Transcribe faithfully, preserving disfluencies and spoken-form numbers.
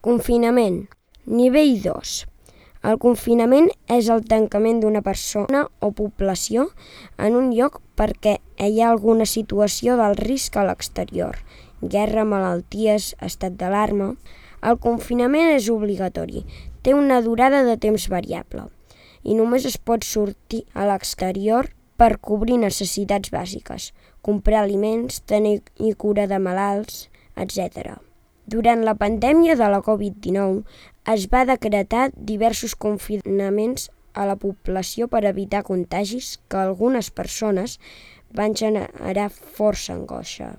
Confinament. Nivell dos. El confinament és el tancament d'una persona o població en un lloc perquè hi ha alguna situació d'alt risc a l'exterior, guerra, malalties, estat d'alarma. El confinament és obligatori, té una durada de temps variable i només es pot sortir a l'exterior per cobrir necessitats bàsiques, comprar aliments, tenir cura de malalts, etcètera. Durant la pandèmia de la covid dinou es va decretar diversos confinaments a la població per evitar contagis que algunes persones van generar força angoixa.